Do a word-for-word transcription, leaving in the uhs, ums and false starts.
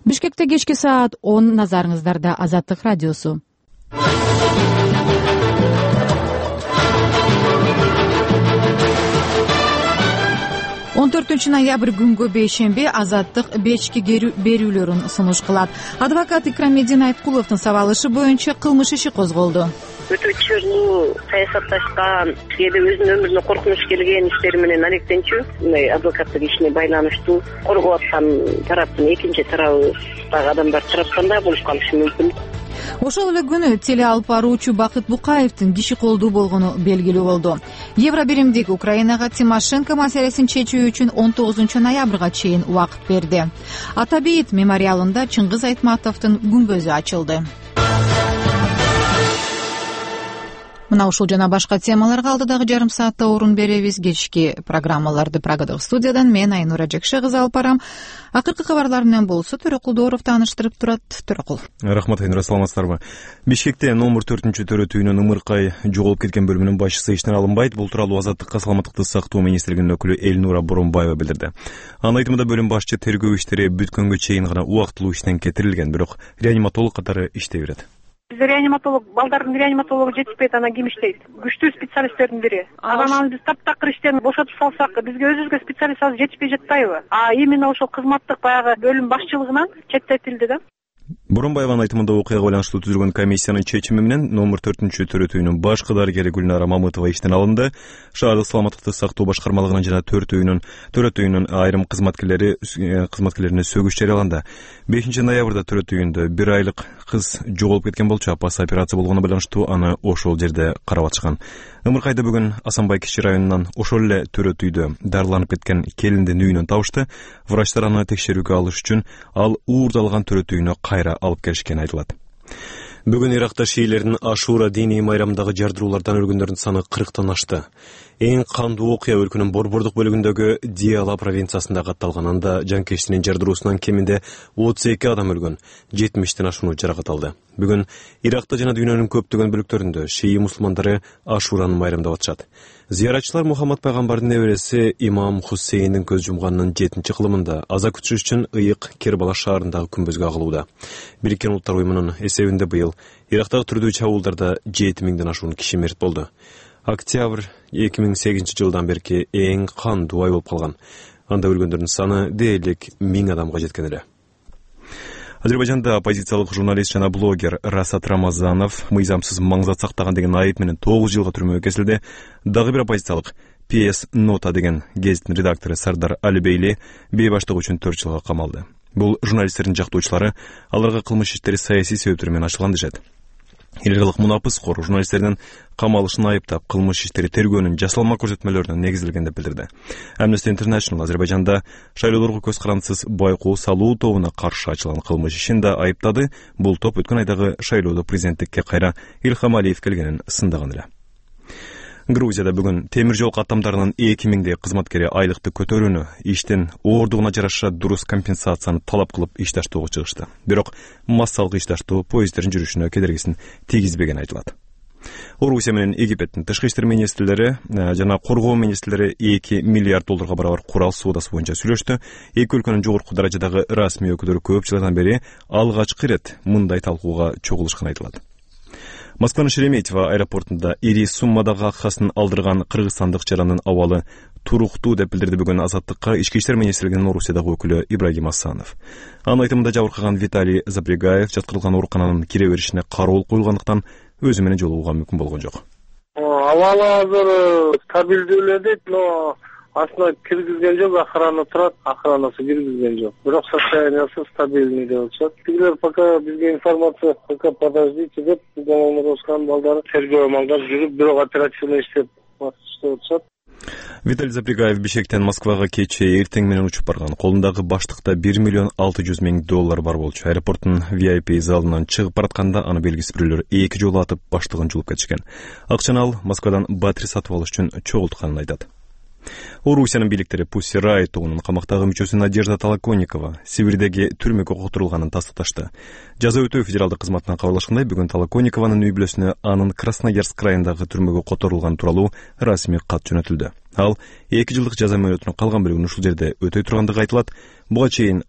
Бишкекте кечки саат он, назарыңыздарда Азаттык радиосу. он төртүнчү ноябрь күнгө бейшемби Азаттык бечки берүүлөрүн сунуш кылат. Адвокат Икрамедин Айткуловдун сабалышы боюнча кылмыш иши козголду. Өтө чырлуу саясатташкан, кээде өзүнүн өмүрүнө коркунуч келген иштери менен алектенчү, мындай адвокаттык ишине байланыштуу коргоп аткан тараптын экинчи тарабындагы адамдар тараптан да болуп калышы мүмкүн. Ошол эле күнү теле алып баруучу Бакыт Букаевдин киши колдуу болгону белгилүү болду. Евро биримдик Украинага Тимошенко маселесин чечүү үчүн он тогузунчу ноябрга чейин убакыт берди. Ата бейит мемориалында Чыңгыз Айтматовдун күмбөзү ачылды. Мына ушул жана башка темаларга алдыдагы жарым саатта орун беребиз. Кечки программаларды Прагадаг студиядан мен Айнура Жекше кызы алып барам. Акыркы кабарлар менен болсо Төрөкул Дооров тааныштырып турат. Төрөкул. Рахмат Айнура, саламатсыздарбы? Бишкекте номер төртүнчү төрөтүүнүн ымыркай жоголуп кеткен бөлүмүнүн башчысы иштен алынбайт. Бул тууралуу Азаттыкка саламаттыкты сактоо министрлигинин өкүлү Элнура Боронбаева билдирди. Анын айтымында бөлүм башчы тергөө иштери бүткөнгө чейин гана убактылуу иштен кетирилген, бирок реаниматолог катары иштей берет. Бизде реаниматолог, балдардын реаниматологу жетишпейт, анан ким иштейт? Күчтүү специалисттердин бири. Анан биз таптакыр иштен бошотуп салсак, бизге өзүбүзгө специалист азыр жетишпей жатпайбы? А именно ошол кызматтык баягы бөлүм башчылыгынан четтетилди да. Боронбаеванын айтымында окуяга байланыштуу түзүлгөн комиссиянын чечими менен номер төртүнчү төрөтүүнүн башкы дарыгери Гүлнара Мамытова иштен алынды. Шаардык саламаттыкты сактоо башкармалыгынын жана төртөөнүн төрөтүүнүн айрым кызматкерлери кызматкерлерине сөгүш жарыяланды. бешинчи ноябрда төрөтүүндө бир айлык кыз жоголуп кеткен болчу. Апасы операция болгонуна байланыштуу аны ошол жерде карап атышкан. Ымыркайда бүгүн Асанбай кичи районунан ошол эле төрөтүүдө дарыланып кеткен келиндин үйүнөн табышты. Врачтар аны текшерүүгө алыш үчүн ал уурдалган төрөтүүнө кайра алып келишкени айтылат. Бүгүн Иракта шиилердин Ашура диний майрамындагы жардыруулардан өлгөндөрдүн саны кырктан ашты. Эң кандуу окуя өлкөнүн борбордук бөлүгүндөгү Диала провинциясында катталган. Анда жанкечтинин жардыруусунан кеминде отуз эки адам өлгөн, жетимиштен ашууну жаракат алды. Бүгүн Иракта жана дүйнөнүн көптөгөн бөлүктөрүндө шии мусулмандары Ашураны майрамдап атышат. Зыяратчылар Мухаммад пайгамбардын небереси Имам Хусейндин көз жумганынын жетинчи кылымында аза күтүш үчүн ыйык Кербала шаарындагы күмбөзгө агылууда. Бириккен Улуттар уюмунун эсебинде быйыл Ирактагы түрдүү чабуулдарда жети миңден ашуун киши мерт болду. Октябрь эки миң сегизинчи жылдан берки эң кандуу ай болуп калган. Анда өлгөндөрдүн саны дээрлик миң адамга жеткен эле. Азербайжанда оппозициялык журналист жана блогер Расат Рамазанов мыйзамсыз маңзат сактаган деген айып менен тогуз жылга түрмөгө кесилди. Дагы бир оппозициялык пи эс Нота деген гезиттин редактору Сардар Алибейли бейбаштык үчүн төрт жылга камалды. Бул журналисттердин жактоочулары аларга кылмыш иштери саясий себептер менен ачылган дешет. Элгилык мунапыс кор журналисттердин камалышын айыптап, кылмыш иштери тергөөнүн жасалма көрсөтмөлөрүнө негизделген деп билдирди. Amnesty International Азербайжанда шайлоолорго көз карандысыз байкоо салуу тобуна каршы ачылган кылмыш ишин да айыптады. Бул топ өткөн айдагы шайлоодо президенттикке кайра Илхам Алиев келгенин сындаган эле. Грузияда бүгүн темир жол каттамдарынын эки миңдей кызматкери айлыкты көтөрүүнү, иштин оордугуна жараша дурус компенсацияны талап кылып ишташтоого чыгышты. Бирок массалык ишташтоо поезддердин жүрүшүнө кедергисин тийгизбегени айтылат. Орусия менен Египеттин тышкы иштер министрлери жана коргоо министрлери эки миллиард долларга барабар курал соодасы боюнча сүйлөштү. Эки өлкөнүн жогорку даражадагы расмий өкүлдөрү көп жылдан бери алгачкы ирет мындай талкууга чогулушканы айтылат. Москванын Шереметьево аэропортунда ири суммадагы акчасын алдырган кыргызстандык жарандын абалы туруктуу деп билдирди бүгүн Азаттыкка ички иштер министрлигинин Орусиядагы өкүлү Ибрагим Асанов. Анын айтымында жабыркаган Виталий Запрягаев жаткырылган оорукананын кире беришине кароол коюлгандыктан өзү менен жолугууга мүмкүн болгон жок. Абалы азыр стабилдүү эле дейт, но аслында киргизген жок, охрана турат, охранасы киргизген жок. Бирок состояниясы стабильный деп атышат. Тигилер пока бизге информация пока подождите деп Мамадовскан балдары тергөө маңдап жүрүп, бирок оперативный иштеп атышат. Виталий Запрягаев Бишкектен Москвага кечээ эртең менен учуп барган. Колундагы баштыкта бир миллион алты жүз миң доллар бар болчу. Аэропорттун ви ай пи залынан чыгып баратканда аны белгисиз бирөөлөр эки жолу атып баштыгын жулуп кетишкен. Акчаны ал Москвадан батарея сатып алыш үчүн чогултканын айтат. Орусиянын бийликтери Pussy Riot тобунун камактагы мүчөсү Надежда Толоконникова Сибирдеги түрмөгө котурулганын тастыкташты. Жаза өтөө федералдык кызматынан кабарлашкандай, бүгүн Толоконникованын үй бүлөсүнө анын Красноярск районундагы түрмөгө которулганы тууралуу расмий кат жөнөтүлдү. Ал эки жылдык жаза мөөнөтүнүн калган бөлүгүн ушул жерде өтөй тургандыгы айтылат. Буга чейин